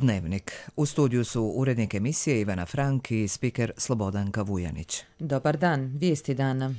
Dnevnik. U studiju su urednik emisije Ivana Frank i spiker Slobodanka Vujanić. Dobar dan, vijesti dana.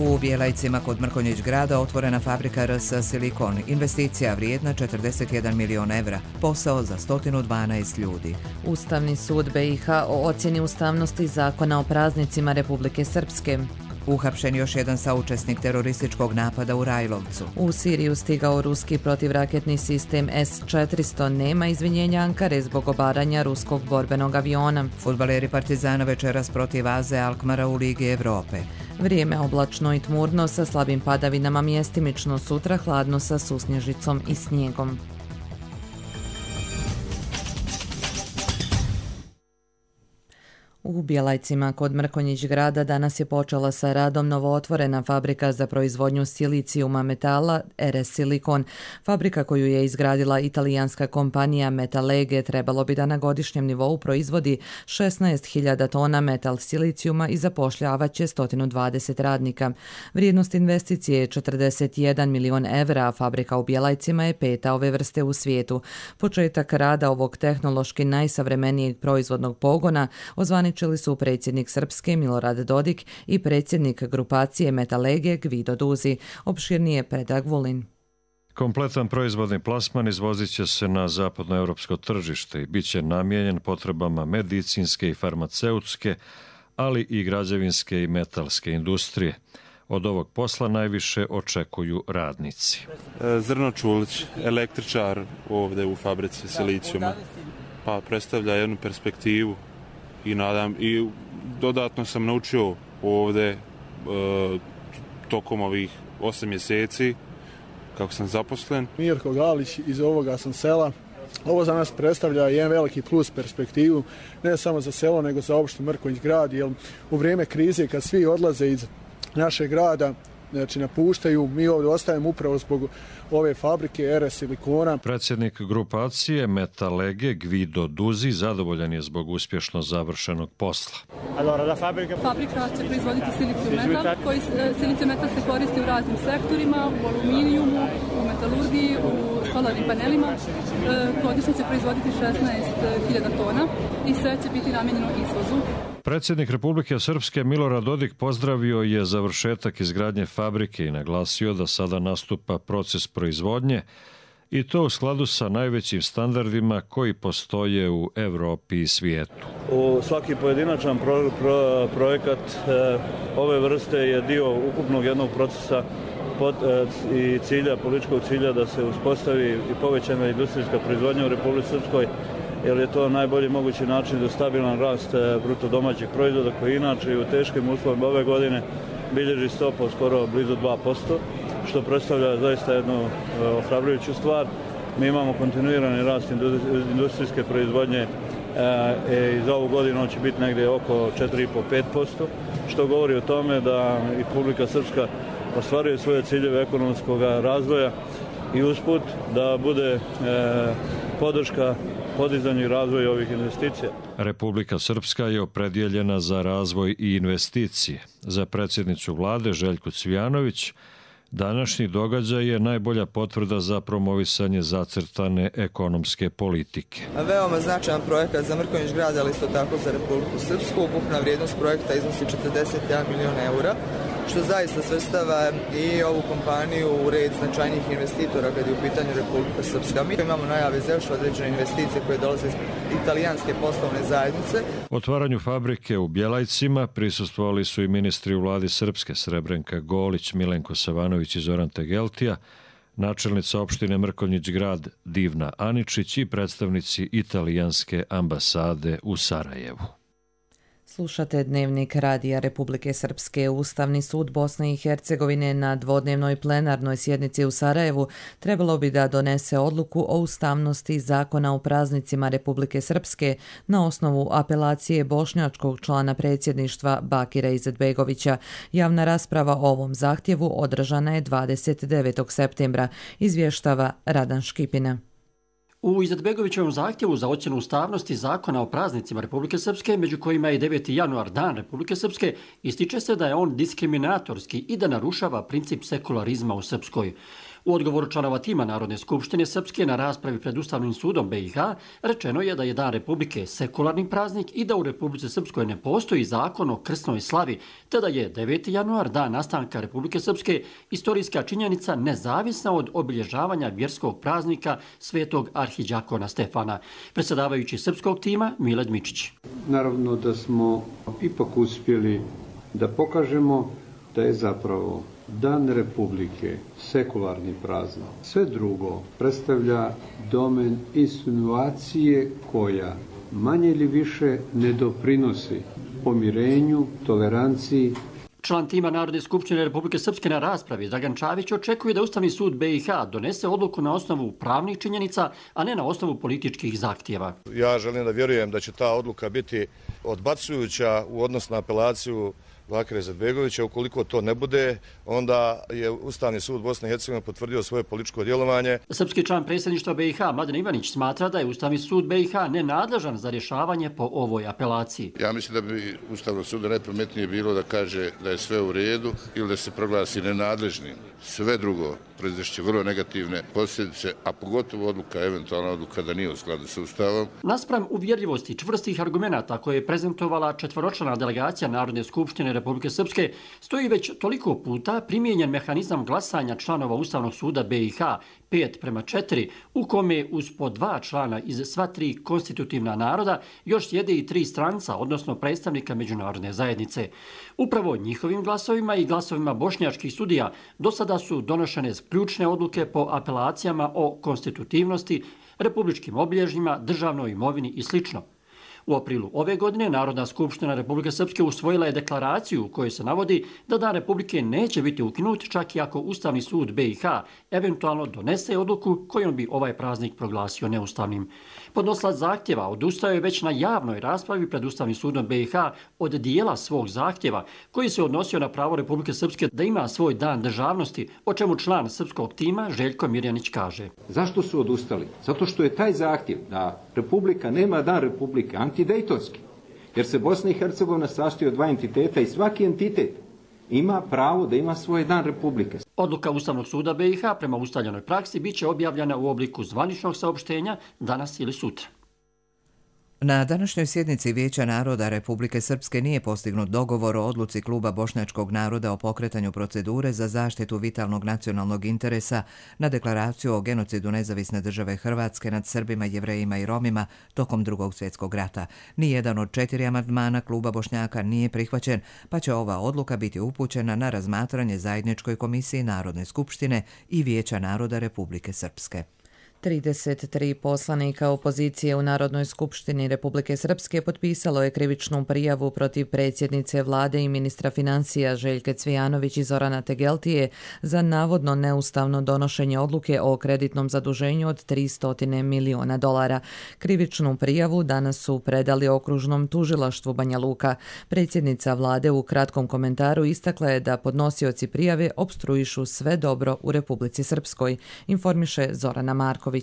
U Bjelajcima kod Mrkonjić grada otvorena fabrika RS Silikon. Investicija vrijedna 41 milion evra. Posao za 112 ljudi. Ustavni sud BiH o ocjeni ustavnosti zakona o praznicima Republike Srpske. Uhapšen još jedan saučesnik terorističkog napada u Rajlovcu. U Siriju stigao ruski protivraketni sistem S-400. Nema izvinjenja Ankare zbog obaranja ruskog borbenog aviona. Fudbaleri Partizana večeras protiv AZ Alkmara u Ligi Evrope. Vrijeme oblačno i tmurno sa slabim padavinama, mjestimično, sutra hladno sa susnježicom i snijegom. U Bjelajcima kod Mrkonjić grada danas je počela sa radom novootvorena fabrika za proizvodnju silicijuma metala RS Silikon. Fabrika koju je izgradila italijanska kompanija Metalege trebalo bi da na godišnjem nivou proizvodi 16.000 tona metal silicijuma i zapošljavaće 120 radnika. Vrijednost investicije je 41 milion evra, a fabrika u Bjelajcima je peta ove vrste u svijetu. Početak rada ovog tehnološki najsavremenijeg proizvodnog pogona ozvaničili su predsjednik Srpske Milorad Dodik i predsjednik grupacije Metalege Gvido Duzi. Opširnije Predrag Vulin. Kompletan proizvodni plasman izvozit će se na zapadnoevropsko tržište i bit će namijenjen potrebama medicinske i farmaceutske, ali i građevinske i metalske industrije. Od ovog posla najviše očekuju radnici. Zrno Čulić, električar ovdje u fabrici silicijuma, pa predstavlja jednu perspektivu i dodatno sam naučio ovdje tokom ovih 8 mjeseci kako sam zaposlen. Mirko Galić, iz ovoga sam sela. Ovo za nas predstavlja jedan veliki plus perspektivu, ne samo za selo, nego za opštinu Mrkonjić grad, jer u vrijeme krize kad svi odlaze iz našeg grada, znači napuštaju, mi ovdje ostajemo upravo zbog ove fabrike RS Silikona. Predsjednik grupacije Metalege Gvido Duzi zadovoljan je zbog uspješno završenog posla. Fabrika će proizvoditi silicijum metal, silicijum metal se koristi u raznim sektorima, u aluminijumu, u metalurgiji, u solarnim panelima. Godišnje će proizvoditi 16.000 tona i sve će biti namijenjeno izvozu. Predsjednik Republike Srpske Milorad Dodik pozdravio je završetak izgradnje fabrike i naglasio da sada nastupa proces proizvodnje i to u skladu sa najvećim standardima koji postoje u Evropi i svijetu. Svaki pojedinačan projekat ove vrste je dio ukupnog jednog procesa i cilja, političkog cilja da se uspostavi i povećana industrijska proizvodnja u Republici Srpskoj, jer je to najbolji mogući način za stabilan rast bruto domaćeg proizvoda koji inače u teškim uslovima ove godine bilježi stopu skoro blizu 2%, što predstavlja zaista jednu ohrabrujuću stvar. Mi imamo kontinuirani rast industrijske proizvodnje i za ovu godinu on će biti negdje oko 4,5-5%, što govori o tome da i Republika Srpska ostvaruje svoje ciljeve ekonomskog razvoja i usput da bude podrška podizanju i razvoju ovih investicija. Republika Srpska je opredijeljena za razvoj i investicije. Za predsjednicu vlade Željku Cvijanović današnji događaj je najbolja potvrda za promovisanje zacrtane ekonomske politike. Veoma značajan projekat za Mrkonjić grad, ali isto tako za Republiku Srpsku. Ukupna vrijednost projekta iznosi 41 milion eura, što zaista svrstava i ovu kompaniju u red značajnijih investitora kad je u pitanju Republika Srpska. Mi imamo najave za još određene investicije koje dolaze iz italijanske poslovne zajednice. Otvaranju fabrike u Bjelajcima prisustvovali su i ministri u vladi Srpske Srebrenka Golić, Milenko Savanović i Zoran Tegeltija, načelnica opštine Mrkonjić grad Divna Aničić i predstavnici italijanske ambasade u Sarajevu. Slušate Dnevnik Radija Republike Srpske. Ustavni sud Bosne i Hercegovine na dvodnevnoj plenarnoj sjednici u Sarajevu trebalo bi da donese odluku o ustavnosti zakona o praznicima Republike Srpske na osnovu apelacije bošnjačkog člana predsjedništva Bakira Izetbegovića. Javna rasprava o ovom zahtjevu održana je 29. septembra, izvještava Radan Škipina. U Izetbegovićevom zahtjevu za ocjenu ustavnosti zakona o praznicima Republike Srpske, među kojima je 9. januar Dan Republike Srpske, ističe se da je on diskriminatorski i da narušava princip sekularizma u Srpskoj. U odgovoru članova tima Narodne skupštine Srpske na raspravi pred Ustavnim sudom BiH rečeno je da je Dan Republike sekularni praznik i da u Republici Srpskoj ne postoji zakon o krsnoj slavi, te da je 9. januar, dan nastanka Republike Srpske, istorijska činjenica nezavisna od obilježavanja vjerskog praznika svetog arhidjakona Stefana. Predsjedavajući srpskog tima Milad Mičić. Naravno da smo ipak uspjeli da pokažemo da je zapravo Dan Republike sekularni praznik. Sve drugo predstavlja domen insinuacije koja manje ili više ne doprinosi pomirenju, toleranciji. Član tima Narodne skupštine Republike Srpske na raspravi Dragan Čavić očekuje da Ustavni sud BiH donese odluku na osnovu pravnih činjenica, a ne na osnovu političkih zahtjeva. Ja želim da vjerujem da će ta odluka biti odbacujuća u odnosu na apelaciju Bakira Izetbegovića. Ukoliko to ne bude, onda je Ustavni sud Bosne i Hercegovine potvrdio svoje političko djelovanje. Srpski član predsjedništva BiH Mladen Ivanić smatra da je Ustavni sud BiH nenadležan za rješavanje po ovoj apelaciji. Ja mislim da bi Ustavnog suda najpametnije bilo da kaže da je sve u redu ili da se proglasi nenadležnim. Sve drugo proizvešće vrlo negativne posljedice, a pogotovo eventualna odluka da nije u skladu sa Ustavom. Naspram uvjerljivosti čvrstih argumenata koje je prezentovala četvoročlana delegacija Narodne skupštine Republike Srpske, stoji već toliko puta primijenjen mehanizam glasanja članova Ustavnog suda BiH 5:4, u kome uz po 2 člana iz sva 3 konstitutivna naroda još sjede i 3 stranca, odnosno predstavnika međunarodne zajednice. Upravo njihovim glasovima i glasovima bošnjačkih sudija do sada su donošene ključne odluke po apelacijama o konstitutivnosti, republičkim obilježjima, državnoj imovini i sl. U aprilu ove godine Narodna skupština Republike Srpske usvojila je deklaraciju u kojoj se navodi da Dan Republike neće biti ukinut čak i ako Ustavni sud BiH eventualno donese odluku kojom bi ovaj praznik proglasio neustavnim. Podnosilac zahtjeva odustao je već na javnoj raspravi pred Ustavnim sudom BiH od dijela svog zahtjeva koji se odnosio na pravo Republike Srpske da ima svoj dan državnosti, o čemu član srpskog tima Željko Mirjanić kaže. Zašto su odustali? Zato što je taj zahtjev da Republika nema Dan Republike antidejtonski, jer se Bosna i Hercegovina sastoji od 2 entiteta i svaki entitet ima pravo da ima svoj Dan Republike. Odluka Ustavnog suda BiH prema ustaljenoj praksi bit će objavljena u obliku zvaničnog saopštenja danas ili sutra. Na današnjoj sjednici Vijeća naroda Republike Srpske nije postignut dogovor o odluci Kluba bošnjačkog naroda o pokretanju procedure za zaštitu vitalnog nacionalnog interesa na deklaraciju o genocidu nezavisne države Hrvatske nad Srbima, Jevrejima i Romima tokom Drugog svjetskog rata. Nijedan od 4 amandmana Kluba Bošnjaka nije prihvaćen, pa će ova odluka biti upućena na razmatranje Zajedničkoj komisiji Narodne skupštine i Vijeća naroda Republike Srpske. 33 poslanika opozicije u Narodnoj skupštini Republike Srpske potpisalo je krivičnu prijavu protiv predsjednice vlade i ministra financija Željke Cvijanović i Zorana Tegeltije za navodno neustavno donošenje odluke o kreditnom zaduženju od $300 miliona. Krivičnu prijavu danas su predali okružnom tužilaštvu Banja Luka. Predsjednica vlade u kratkom komentaru istakla je da podnosioci prijave opstruišu sve dobro u Republici Srpskoj, informiše Zorana Marković.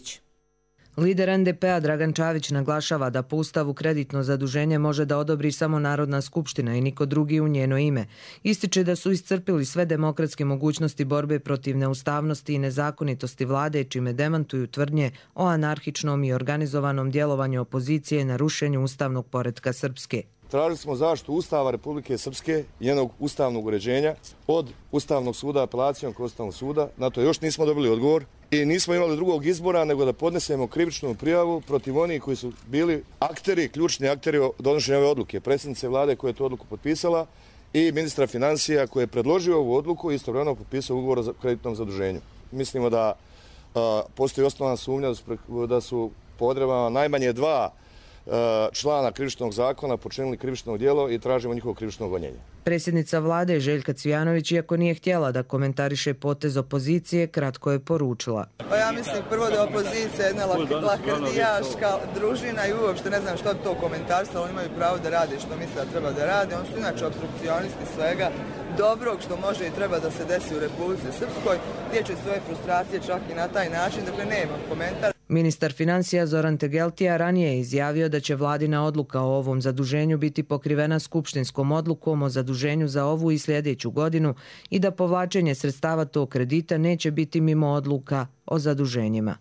Lider NDP-a Dragan Čavić naglašava da po Ustavu kreditno zaduženje može da odobri samo Narodna skupština i niko drugi u njeno ime. Ističe da su iscrpili sve demokratske mogućnosti borbe protiv neustavnosti i nezakonitosti vlade, čime demantuju tvrdnje o anarhičnom i organizovanom djelovanju opozicije na rušenju ustavnog poretka Srpske. Tražili smo zaštitu Ustava Republike Srpske i njenog ustavnog uređenja od Ustavnog suda, apelacijom kod Ustavnog suda. Na to još nismo dobili odgovor i nismo imali drugog izbora nego da podnesemo krivičnu prijavu protiv onih koji su bili akteri, ključni akteri donošenja ove odluke. Predsjednice vlade koja je tu odluku potpisala i ministra financija koji je predložio ovu odluku i istovremeno potpisao ugovor o kreditnom zaduženju. Mislimo da postoji osnovna sumnja da su po odredbama najmanje 2 člana krivičnog zakona počinili krivično djelo i tražimo njihovo krivično gonjenje. Predsjednica vlade Željka Cvijanović, iako nije htjela da komentariše potez opozicije, kratko je poručila. Pa ja mislim prvo da opozicija je jedna lakrdijaška družina i uopšte ne znam što bi to komentarstvo, ali imaju pravo da rade što misle da treba da rade. Oni su inače obstrukcionisti svega dobrog što može i treba da se desi u Republici Srpskoj, gdje će svoje frustracije čak i na taj način, dakle nema komentar. Ministar financija Zoran Tegeltija ranije je izjavio da će vladina odluka o ovom zaduženju biti pokrivena skupštinskom odlukom o zaduženju za ovu i sljedeću godinu i da povlačenje sredstava tog kredita neće biti mimo odluka o zaduženjima.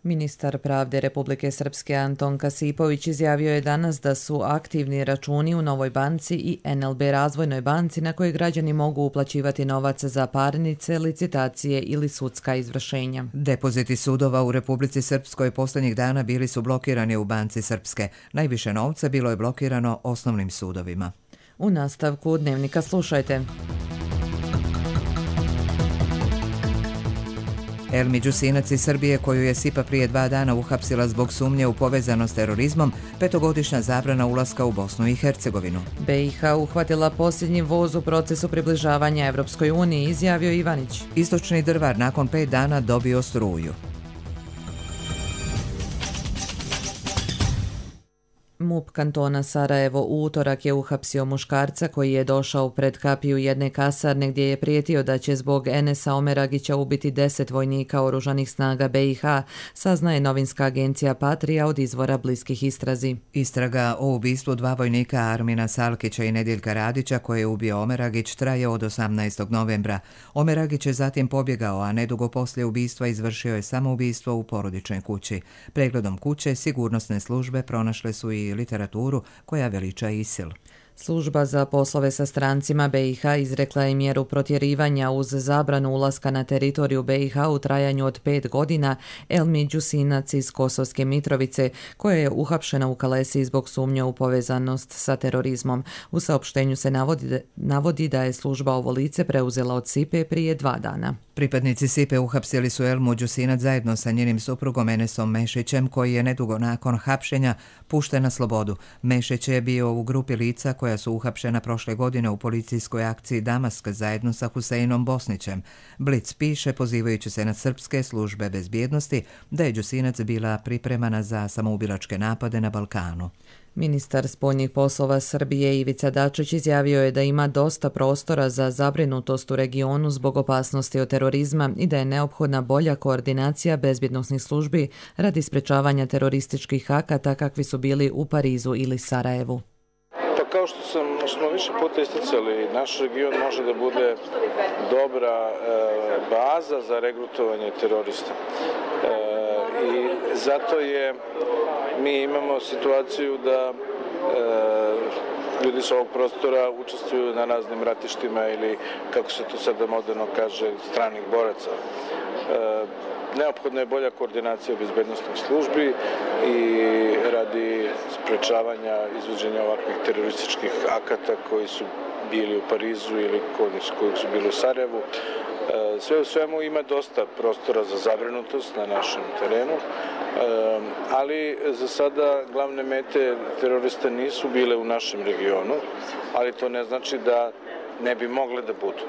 Ministar pravde Republike Srpske Anton Kasipović izjavio je danas da su aktivni računi u Novoj banci i NLB Razvojnoj banci na koje građani mogu uplaćivati novac za parnice, licitacije ili sudska izvršenja. Depoziti sudova u Republici Srpskoj posljednjih dana bili su blokirani u Banci Srpske. Najviše novca bilo je blokirano osnovnim sudovima. U nastavku Dnevnika slušajte. Elmi Đusinac iz Srbije, koju je SIPA prije 2 dana uhapsila zbog sumnje u povezanost s terorizmom, 5-godišnja zabrana ulaska u Bosnu i Hercegovinu. BiH uhvatila posljednji voz u procesu približavanja Evropskoj uniji, izjavio Ivanić. Istočni Drvar nakon 5 dana dobio struju. MUP kantona Sarajevo u utorak je uhapsio muškarca koji je došao pred kapiju jedne kasarne gdje je prijetio da će zbog Enesa Omeragića ubiti 10 vojnika oružanih snaga BiH, saznaje novinska agencija Patrija od izvora bliskih istrazi. Istraga o ubistvu 2 vojnika Armina Salkića i Nediljka Radića koje je ubio Omeragić traje od 18. novembra. Omeragić je zatim pobjegao, a nedugo poslije ubistva izvršio je samoubistvo u porodičnoj kući. Pregledom kuće sigurnosne službe pronašle su i literaturu koja veliča ISIL. Služba za poslove sa strancima BiH izrekla je mjeru protjerivanja uz zabranu ulaska na teritoriju BiH u trajanju od 5 godina Elmi Đusinac iz Kosovske Mitrovice, koja je uhapšena u Kalesi zbog sumnje u povezanost sa terorizmom. U saopštenju se navodi da je služba ovo lice preuzela od SIPE prije 2 dana. Pripadnici SIPE uhapsili su Elmu Đusinac zajedno sa njenim suprugom Enesom Mešićem, koji je nedugo nakon hapšenja pušten na slobodu. Mešić je bio u grupi lica koja su uhapšena prošle godine u policijskoj akciji Damask zajedno sa Huseinom Bosnićem. Blic piše, pozivajući se na srpske službe bezbjednosti, da je Đusinac bila pripremana za samoubilačke napade na Balkanu. Ministar spoljnih poslova Srbije Ivica Dačić izjavio je da ima dosta prostora za zabrinutost u regionu zbog opasnosti od terorizma i da je neophodna bolja koordinacija bezbjednosnih službi radi sprečavanja terorističkih akata kakvi su bili u Parizu ili Sarajevu. Pa kao što smo više puta isticali, naš region može da bude dobra baza za regrutovanje terorista. I zato mi imamo situaciju da ljudi s ovog prostora učestvuju na raznim ratištima ili, kako se to sada moderno kaže, stranih boraca. Neophodna je bolja koordinacija bezbednosnih službi i radi sprečavanja izvođenja ovakvih terorističkih akata koji su bili u Parizu ili koji su bili u Sarajevu. Sve u svemu ima dosta prostora za zabrinutost na našem terenu, ali za sada glavne mete terorista nisu bile u našem regionu, ali to ne znači da ne bi mogle da budu.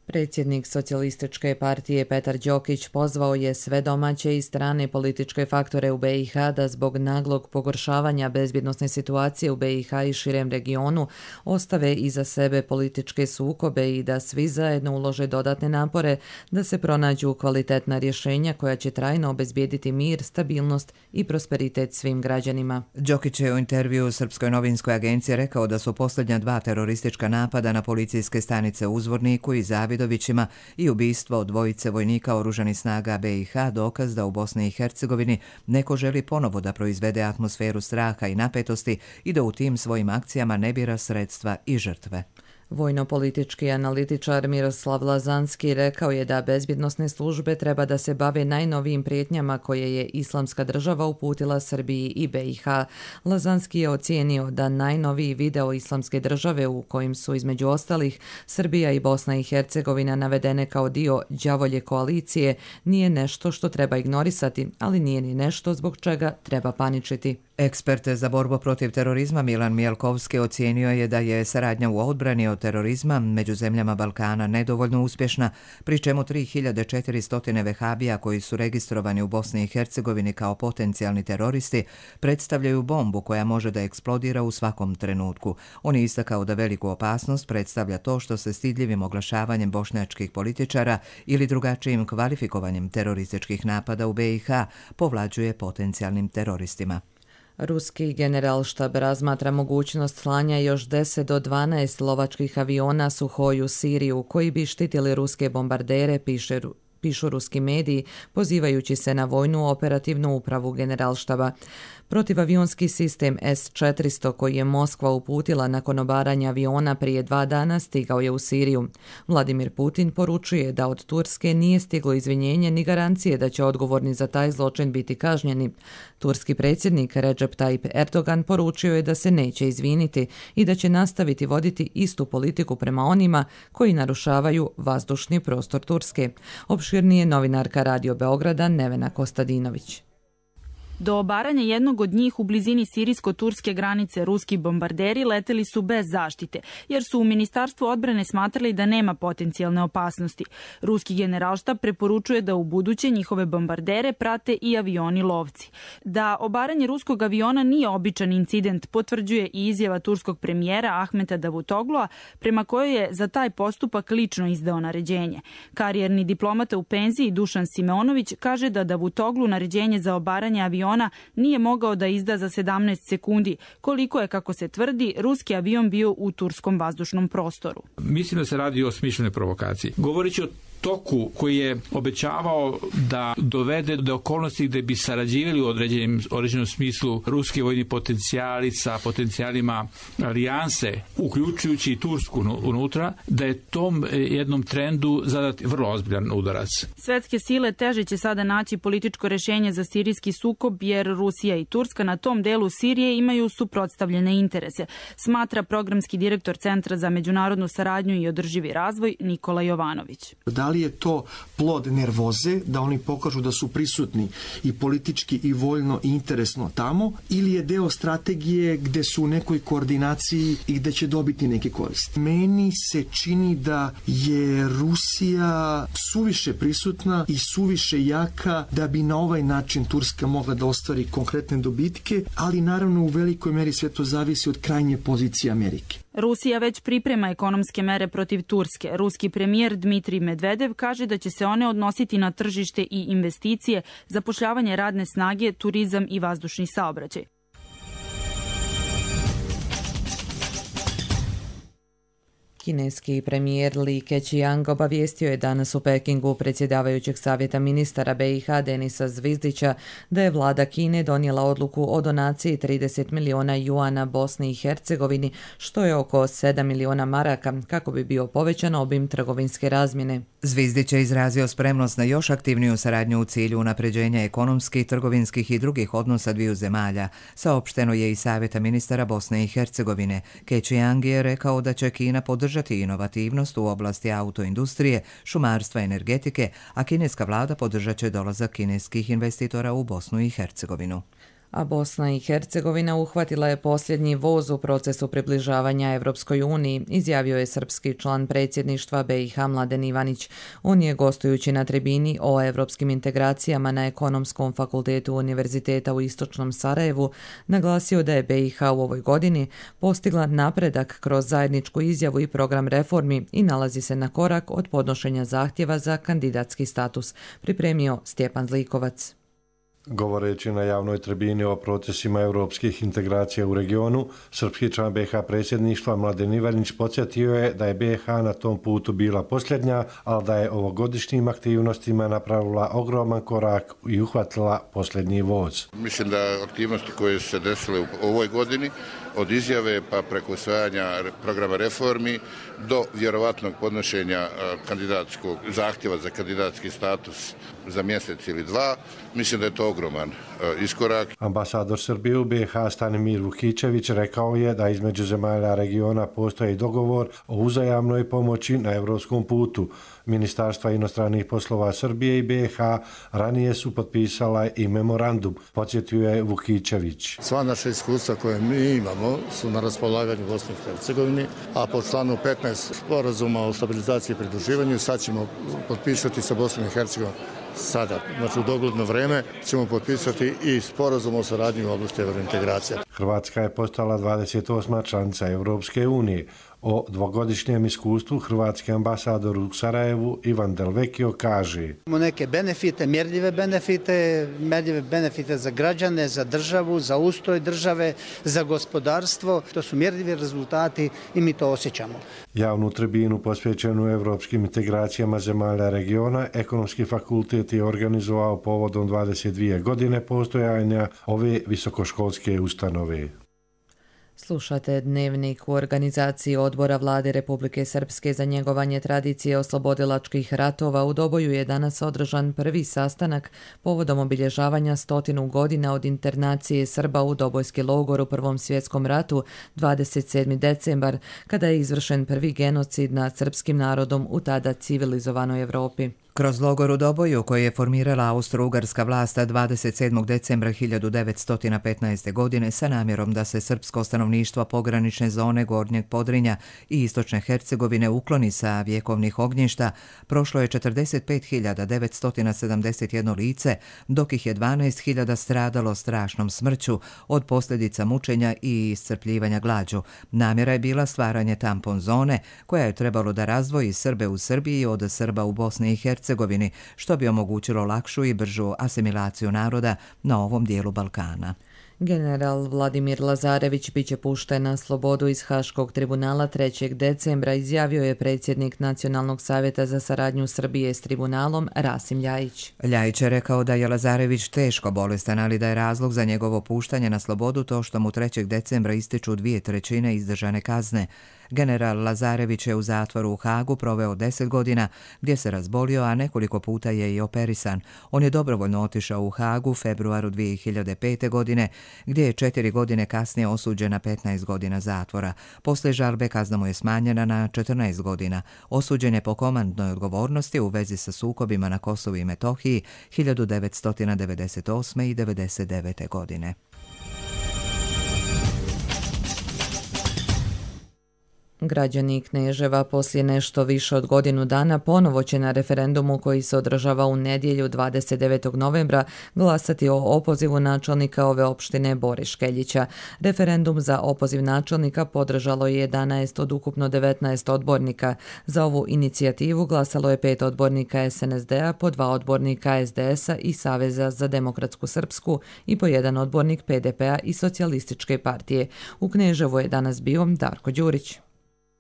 Predsjednik Socijalističke partije Petar Đokić pozvao je sve domaće i strane političke faktore u BiH da zbog naglog pogoršavanja bezbjednosne situacije u BiH i širem regionu ostave iza sebe političke sukobe i da svi zajedno ulože dodatne napore da se pronađu kvalitetna rješenja koja će trajno obezbijediti mir, stabilnost i prosperitet svim građanima. Đokić je u intervjuu Srpskoj novinskoj agenciji rekao da su posljednja 2 teroristička napada na policijske stanice u Uzvorniku i Zavidovićima i ubistvo 2 vojnika oružanih snaga BiH dokaz da u Bosni i Hercegovini neko želi ponovo da proizvede atmosferu straha i napetosti i da u tim svojim akcijama ne bira sredstva i žrtve. Vojno-politički analitičar Miroslav Lazanski rekao je da bezbjednosne službe treba da se bave najnovijim prijetnjama koje je Islamska država uputila Srbiji i BiH. Lazanski je ocijenio da najnoviji video Islamske države u kojim su između ostalih Srbija i Bosna i Hercegovina navedene kao dio đavolje koalicije nije nešto što treba ignorisati, ali nije ni nešto zbog čega treba paničiti. Ekspert za borbu protiv terorizma Milan Mielkovski ocijenio je da je saradnja u odbrani od terorizma među zemljama Balkana nedovoljno uspješna, pri čemu 3400 vehabija koji su registrovani u Bosni i Hercegovini kao potencijalni teroristi predstavljaju bombu koja može da eksplodira u svakom trenutku. On je istakao da veliku opasnost predstavlja to što se stidljivim oglašavanjem bošnjačkih političara ili drugačijim kvalifikovanjem terorističkih napada u BiH povlađuje potencijalnim teroristima. Ruski generalštab razmatra mogućnost slanja još 10 do 12 lovačkih aviona Suhoj u Siriju koji bi štitili ruske bombardere, pišu ruski mediji, pozivajući se na vojnu operativnu upravu generalštaba. Protivavionski sistem S-400 koji je Moskva uputila nakon obaranja aviona prije 2 dana stigao je u Siriju. Vladimir Putin poručuje da od Turske nije stiglo izvinjenje ni garancije da će odgovorni za taj zločin biti kažnjeni. Turski predsjednik Recep Tayyip Erdogan poručio je da se neće izviniti i da će nastaviti voditi istu politiku prema onima koji narušavaju vazdušni prostor Turske. Opširnije novinarka Radio Beograda Nevena Kostadinović. Do obaranja jednog od njih u blizini sirijsko-turske granice ruski bombarderi leteli su bez zaštite, jer su u Ministarstvu odbrane smatrali da nema potencijalne opasnosti. Ruski generalštab preporučuje da u buduće njihove bombardere prate i avioni lovci. Da obaranje ruskog aviona nije običan incident potvrđuje i izjava turskog premijera Ahmeta Davutoglua, prema kojoj je za taj postupak lično izdao naređenje. Karijerni diplomata u penziji Dušan Simeonović kaže da Davutoglu naređenje za obaranje aviona nije mogao da izda za 17 sekundi, koliko je, kako se tvrdi, ruski avion bio u turskom vazdušnom prostoru. Mislim da se radi o smišljenoj provokaciji. Govoreći o toku koji je obećavao da dovede do okolnosti gde bi sarađivali u određenom smislu ruski vojni potencijali sa potencijalima alijanse, uključujući i Tursku unutra, da je tom jednom trendu zadati vrlo ozbiljan udarac. Svetske sile teže će sada naći političko rešenje za sirijski sukob, jer Rusija i Turska na tom delu Sirije imaju suprotstavljene interese, smatra programski direktor Centra za međunarodnu saradnju i održivi razvoj Nikola Jovanović. Da li je to plod nervoze, da oni pokažu da su prisutni i politički i vojno i interesno tamo, ili je deo strategije gde su u nekoj koordinaciji i gde će dobiti neke koristi? Meni se čini da je Rusija suviše prisutna i suviše jaka da bi na ovaj način Turska mogla da ostvari konkretne dobitke, ali naravno u velikoj meri sve to zavisi od krajnje pozicije Amerike. Rusija već priprema ekonomske mere protiv Turske. Ruski premijer Dmitrij Medvedev kaže da će se one odnositi na tržište i investicije, zapošljavanje radne snage, turizam i vazdušni saobraćaj. Kineski premijer Li Keqiang obavijestio je danas u Pekingu predsjedavajućeg savjeta ministara BiH Denisa Zvizdića da je vlada Kine donijela odluku o donaciji 30 miliona juana Bosni i Hercegovini, što je oko 7 miliona maraka, kako bi bio povećan obim trgovinske razmjene. Zvizdić je izrazio spremnost na još aktivniju saradnju u cilju unapređenja ekonomskih, trgovinskih i drugih odnosa dviju zemalja, saopšteno je i savjeta ministara Bosne i Hercegovine. Keqiang je rekao da će Kina podržati inovativnost u oblasti autoindustrije, šumarstva i energetike, a kineska vlada podržat će dolazak kineskih investitora u Bosnu i Hercegovinu. A Bosna i Hercegovina uhvatila je posljednji voz u procesu približavanja Evropskoj uniji, izjavio je srpski član predsjedništva BiH Mladen Ivanić. On je, gostujući na tribini o evropskim integracijama na Ekonomskom fakultetu Univerziteta u Istočnom Sarajevu, naglasio da je BiH u ovoj godini postigla napredak kroz zajedničku izjavu i program reformi i nalazi se na korak od podnošenja zahtjeva za kandidatski status, pripremio Stjepan Zlikovac. Govoreći na javnoj tribini o procesima europskih integracija u regionu, srpski član BiH predsjedništva Mladen Ivanić podsjetio je da je BiH na tom putu bila posljednja, ali da je ovogodišnjim aktivnostima napravila ogroman korak i uhvatila posljednji voz. Mislim da aktivnosti koje su se desile u ovoj godini, od izjave pa preko usvajanja programa reformi do vjerovatnog podnošenja kandidatskog zahtjeva za kandidatski status za mjesec ili dva, mislim da je to ogroman iskorak. Ambasador Srbije u BiH Stanimir Vukićević rekao je da između zemalja regiona postoji dogovor o uzajamnoj pomoći na evropskom putu. Ministarstva inostranih poslova Srbije i BiH ranije su potpisala i memorandum, podsjetio je Vukićević. Sva naša iskustva koje mi imamo su na raspolaganju Bosni i Hercegovini, a po članu 15 sporazuma o stabilizaciji i pridruživanju sad ćemo potpisati sa Bosnom i Hercegovinom. Sada, znači u dogledno vreme, ćemo potpisati i sporazum o saradnji u oblasti evrointegracija. Hrvatska je postala 28. članica Europske unije. O dvogodišnjem iskustvu hrvatski ambasador u Sarajevu Ivan Delvekio kaže: Imamo neke benefite, mjerljive benefite za građane, za državu, za ustroj države, za gospodarstvo. To su mjerljivi rezultati i mi to osjećamo. Javnu tribinu posvećenu evropskim integracijama zemalja regiona Ekonomski fakultet je organizovao povodom 22 godine postojanja ove visokoškolske ustanove. Slušate Dnevnik. U organizaciji Odbora Vlade Republike Srpske za njegovanje tradicije oslobodilačkih ratova u Doboju je danas održan prvi sastanak povodom obilježavanja 100 godina od internacije Srba u Dobojski logor u Prvom svjetskom ratu 27. decembar, kada je izvršen prvi genocid nad srpskim narodom u tada civilizovanoj Evropi. Kroz logor u Doboju, koji je formirala austro-ugarska vlast 27. decembra 1915. godine sa namjerom da se srpsko stanovništvo pogranične zone Gornjeg Podrinja i Istočne Hercegovine ukloni sa vjekovnih ognjišta, prošlo je 45.971 lice, dok ih je 12.000 stradalo strašnom smrću od posljedica mučenja i iscrpljivanja glađu. Namjera je bila stvaranje tampon zone, koja je trebalo da razdvoji Srbe u Srbiji od Srba u Bosni i Hercegovini, što bi omogućilo lakšu i bržu asimilaciju naroda na ovom dijelu Balkana. General Vladimir Lazarević biće pušten na slobodu iz Haškog tribunala 3. decembra, izjavio je predsjednik Nacionalnog savjeta za saradnju Srbije s tribunalom Rasim Ljajić. Ljajić je rekao da je Lazarević teško bolestan, ali da je razlog za njegovo puštanje na slobodu to što mu 3. decembra ističu 2/3 izdržane kazne. General Lazarević je u zatvoru u Hagu proveo 10 godina, gdje se razbolio, a nekoliko puta je i operisan. On je dobrovoljno otišao u Hagu u februaru 2005. godine, gdje je 4 godine kasnije osuđen na 15 godina zatvora. Poslije žalbe kazna mu je smanjena na 14 godina. Osuđen je po komandnoj odgovornosti u vezi sa sukobima na Kosovu i Metohiji 1998. i 1999. godine. Građani Kneževa poslije nešto više od godinu dana ponovo će na referendumu koji se održava u nedjelju 29. novembra glasati o opozivu načelnika ove opštine Bore Škeljića. Referendum za opoziv načelnika podržalo je 11 od ukupno 19 odbornika. Za ovu inicijativu glasalo je 5 odbornika SNSD-a, po 2 odbornika SDS-a i Saveza za demokratsku srpsku i po 1 odbornik PDP-a i Socijalističke partije. U Kneževu je danas bio Darko Đurić.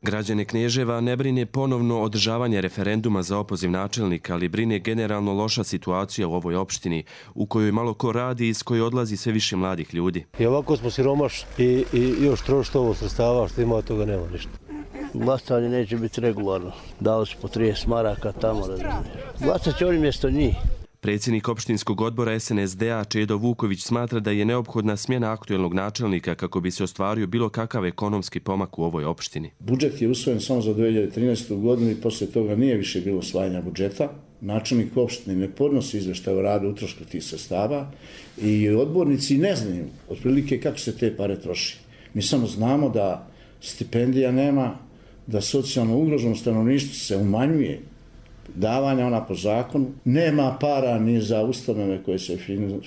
Građane Kneževa ne brine ponovno održavanje referenduma za opoziv načelnika, ali brine generalno loša situacija u ovoj opštini, u kojoj malo ko radi i iz koje odlazi sve više mladih ljudi. I ovako smo siromašni i još trošiti ovo sredstava, što ima od toga nema ništa. Glasanje neće biti regularno. Dao su po 30 maraka tamo. Glasat će oni mjesto njih. Predsjednik opštinskog odbora SNSD-a Čedo Vuković smatra da je neophodna smjena aktuelnog načelnika kako bi se ostvario bilo kakav ekonomski pomak u ovoj opštini. Budžet je usvojen samo za 2013. godinu i poslije toga nije više bilo usvajanja budžeta. Načelnik opštine ne podnosi izveštaj o radu utrošku tih sredstava i odbornici ne znaju otprilike kako se te pare troši. Mi samo znamo da stipendija nema, da socijalno ugroženo stanovništvo se umanjuje, davanja ona po zakonu, nema para ni za ustanove koje se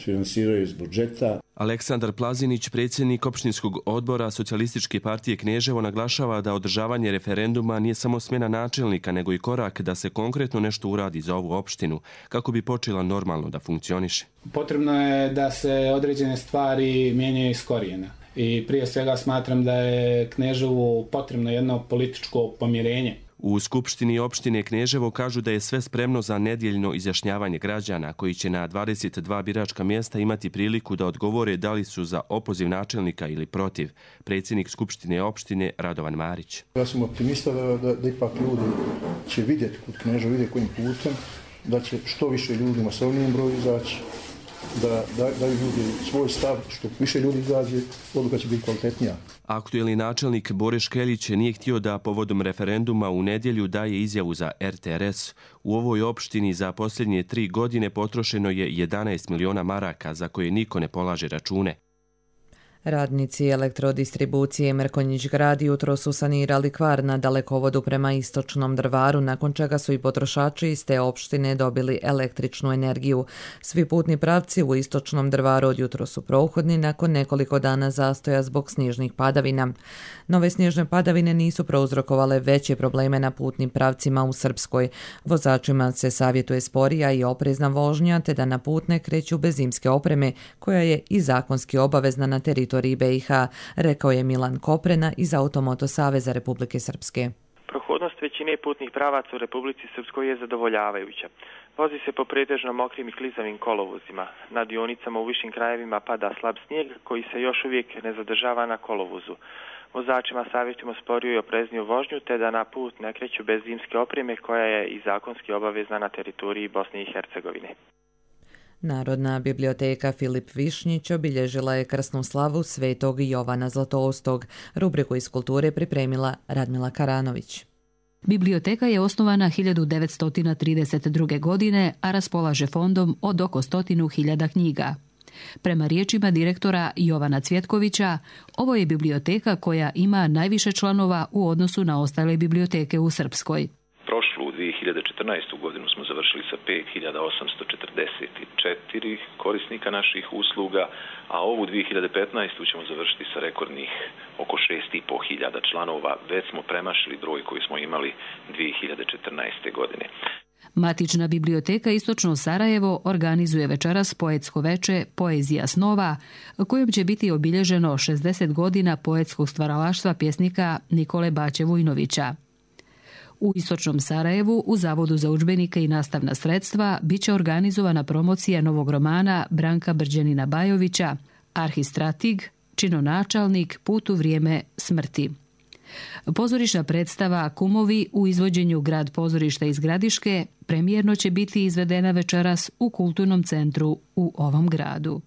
finansiraju iz budžeta. Aleksandar Plazinić, predsjednik opštinskog odbora Socijalističke partije Kneževo, naglašava da održavanje referenduma nije samo smjena načelnika, nego i korak da se konkretno nešto uradi za ovu opštinu, kako bi počela normalno da funkcioniše. Potrebno je da se određene stvari mijenjaju iz korijena. I prije svega smatram da je Kneževu potrebno jedno političko pomirenje. U Skupštini opštine Kneževo kažu da je sve spremno za nedjeljno izjašnjavanje građana koji će na 22 biračka mjesta imati priliku da odgovore da li su za opoziv načelnika ili protiv. Predsjednik Skupštine opštine Radovan Marić. Ja sam optimista da ipak ljudi će vidjeti kod Kneževa, vidjeti kojim putem, da će što više ljudi masovnijem broju izaći da daju ljudi svoj stav, što više ljudi izađe, odluka će biti kvalitetnija. Aktuelni načelnik Bore Škeljić nije htio da povodom referenduma u nedjelju daje izjavu za RTRS. U ovoj opštini za posljednje 3 godine potrošeno je 11 miliona maraka za koje niko ne polaže račune. Radnici elektrodistribucije Mrkonjić Grad jutro su sanirali kvar na dalekovodu prema istočnom Drvaru, nakon čega su i potrošači iz te opštine dobili električnu energiju. Svi putni pravci u istočnom Drvaru od jutro su prohodni nakon nekoliko dana zastoja zbog snježnih padavina. Nove snježne padavine nisu prouzrokovale veće probleme na putnim pravcima u Srpskoj. Vozačima se savjetuje sporija i oprezna vožnja, te da na put ne kreću bez zimske opreme, koja je i zakonski obavezna na teritoriji BiH, rekao je Milan Koprena iz Automoto Saveza Republike Srpske. Prohodnost većine putnih pravaca u Republici Srpskoj je zadovoljavajuća. Vozi se po pretežno mokrim i klizavim kolovozima. Na dionicama u višim krajevima pada slab snijeg koji se još uvijek ne zadržava na kolovozu. Vozačima savjetujemo sporiju i oprezniju vožnju te da na put ne kreću bez zimske opreme koja je i zakonski obavezna na teritoriji Bosne i Hercegovine. Narodna biblioteka Filip Višnjić obilježila je krsnu slavu Svetog Jovana Zlatoustog. Rubriku iz kulture pripremila Radmila Karanović. Biblioteka je osnovana 1932. godine, a raspolaže fondom od oko 100.000 knjiga. Prema riječima direktora Jovana Cvjetkovića, ovo je biblioteka koja ima najviše članova u odnosu na ostale biblioteke u Srpskoj. Prošlu 2014. godinu smo završili sa 5.844 korisnika naših usluga, a ovu 2015. ćemo završiti sa rekordnih oko 6.500 članova. Već smo premašili broj koji smo imali 2014. godine. Matična biblioteka Istočno Sarajevo organizuje večeras poetsko veče Poezija snova, kojom će biti obilježeno 60 godina poetskog stvaralaštva pjesnika Nikole Baće Vujnovića. U Istočnom Sarajevu, u Zavodu za udžbenike i nastavna sredstva, bit će organizovana promocija novog romana Branka Brđanina Bajovića, Arhistratig, činonačalnik, Put u vrijeme smrti. Pozorišna predstava Kumovi u izvođenju Grad pozorišta iz Gradiške premijerno će biti izvedena večeras u Kulturnom centru u ovom gradu.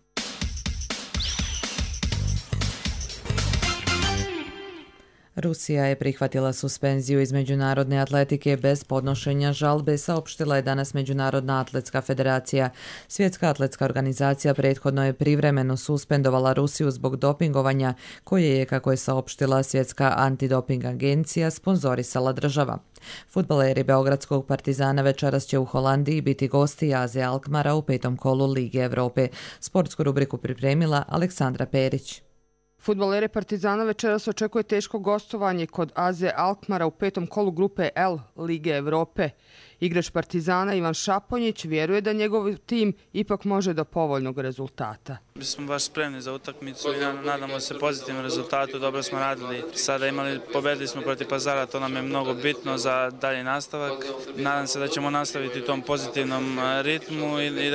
Rusija je prihvatila suspenziju iz međunarodne atletike bez podnošenja žalbe, saopštila je danas Međunarodna atletska federacija. Svjetska atletska organizacija prethodno je privremeno suspendovala Rusiju zbog dopingovanja, koje je, kako je saopštila Svjetska antidoping agencija, sponzorisala država. Fudbaleri Beogradskog Partizana večeras će u Holandiji biti gosti AZ Alkmara u 5. kolu Lige Evrope. Sportsku rubriku pripremila Aleksandra Perić. Fudbalere Partizana večeras očekuje teško gostovanje kod AZ Alkmara u 5. kolu grupe L Lige Evrope. Igrač Partizana Ivan Šaponjić vjeruje da njegov tim ipak može do povoljnog rezultata. Mi smo baš spremni za utakmicu i nadamo se pozitivnom rezultatu. Dobro smo radili. Sada pobedili smo protiv Pazara, to nam je mnogo bitno za dalji nastavak. Nadam se da ćemo nastaviti u tom pozitivnom ritmu i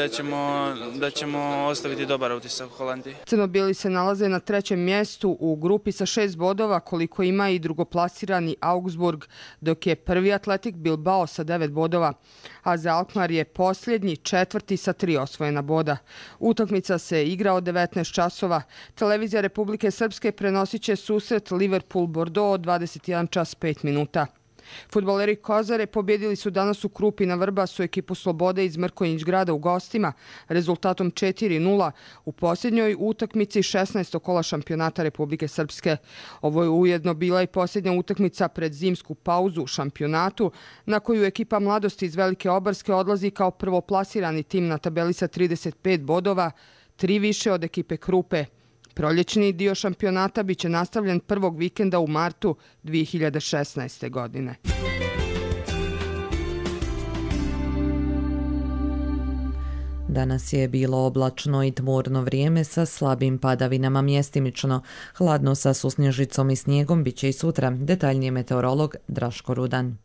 da ćemo ostaviti dobar utisak u Holandiji. Crnobijeli se nalaze na 3. mjestu u grupi sa 6 bodova, koliko ima i drugoplasirani Augsburg, dok je prvi Atletik Bilbao sa 9 bodova. AZ Alkmaar je posljednji, 4. sa 3 osvojena boda. Utakmica se igra od 19 časova. Televizija Republike Srpske prenosit će susret Liverpool-Bordeaux od 21 čas 5 minuta. Fudbaleri Kozare pobjedili su danas u Krupi na Vrbasu ekipu Slobode iz Mrkonjić Grada u gostima rezultatom 4-0 u posljednjoj utakmici 16. kola šampionata Republike Srpske. Ovo je ujedno bila i posljednja utakmica pred zimsku pauzu u šampionatu, na koju ekipa Mladosti iz Velike Obarske odlazi kao prvoplasirani tim na tabeli sa 35 bodova, 3 više od ekipe Krupe. Proljećni dio šampionata biće nastavljen prvog vikenda u martu 2016. godine. Danas je bilo oblačno i tmurno vrijeme sa slabim padavinama mjestimično. Hladno sa susnježicom i snijegom biće i sutra. Detaljnije meteorolog Draško Rudan.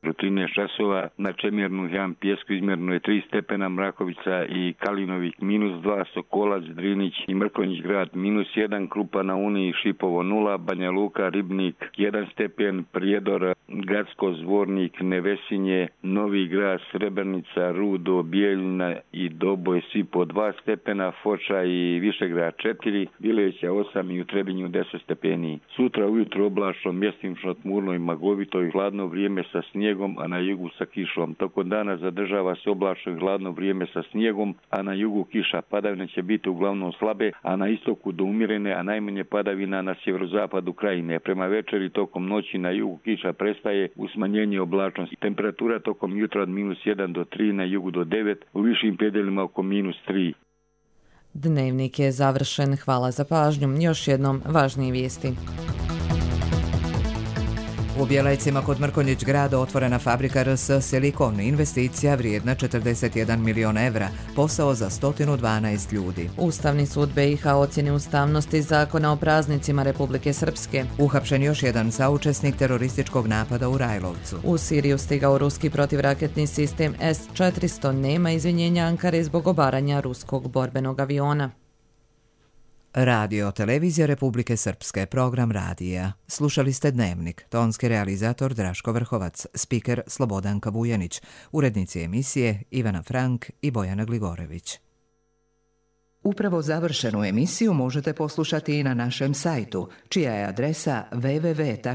Do 13 časova na Čemirnu Jan Pjesku izmjerno je 3 stepena, Mrakovica i Kalinovik -2, Sokolac, Drinić i Mrkonjić grad -1, Krupa na Uni, Šipovo 0, Banja Luka, Ribnik 1 stepen, Prijedor, Gacko, Zvornik, Nevesinje, Novi grad, Srebrnica, Rudo, Bijeljina i Doboj svi po 2 stepena, Foča i Višegrad 4, Vileća 8 i u Trebinju 10 stepeni. Sutra ujutro oblačno, mjestimično tmurno i magovito i hladno vrijeme sa snijegom, a na jugu sa kišom. Tokom dana zadržava se oblačno i hladno vrijeme sa snijegom, a na jugu kiša. Padavine će biti uglavnom slabe, a na istoku do umjerene, a najmanje padavina na sjeverozapadu krajine. Prema večeri tokom noći na jugu kiša prestaje u smanjenje oblačnosti. Temperatura tokom jutra od -1 do 3, na jugu do 9, u višim predjelima oko -3. Dnevnik je završen. Hvala za pažnju. Još jednom važnije vijesti. U Bjelajcima kod Mrkonjić grada otvorena fabrika RS Silikon, investicija vrijedna 41 milion evra, posao za 112 ljudi. Ustavni sud BiH ocjeni ustavnosti zakona o praznicima Republike Srpske. Uhapšen još jedan saučesnik terorističkog napada u Rajlovcu. U Siriju stigao ruski protivraketni sistem S-400, nema izvinjenja Ankare zbog obaranja ruskog borbenog aviona. Radio Televizija Republike Srpske, program radija. Slušali ste Dnevnik, tonski realizator Draško Vrhovac, spiker Slobodanka Vujanić, urednici emisije Ivana Frank i Bojana Gligorević. Upravo završenu emisiju možete poslušati i na našem sajtu, čija je adresa www.rtrs.tv.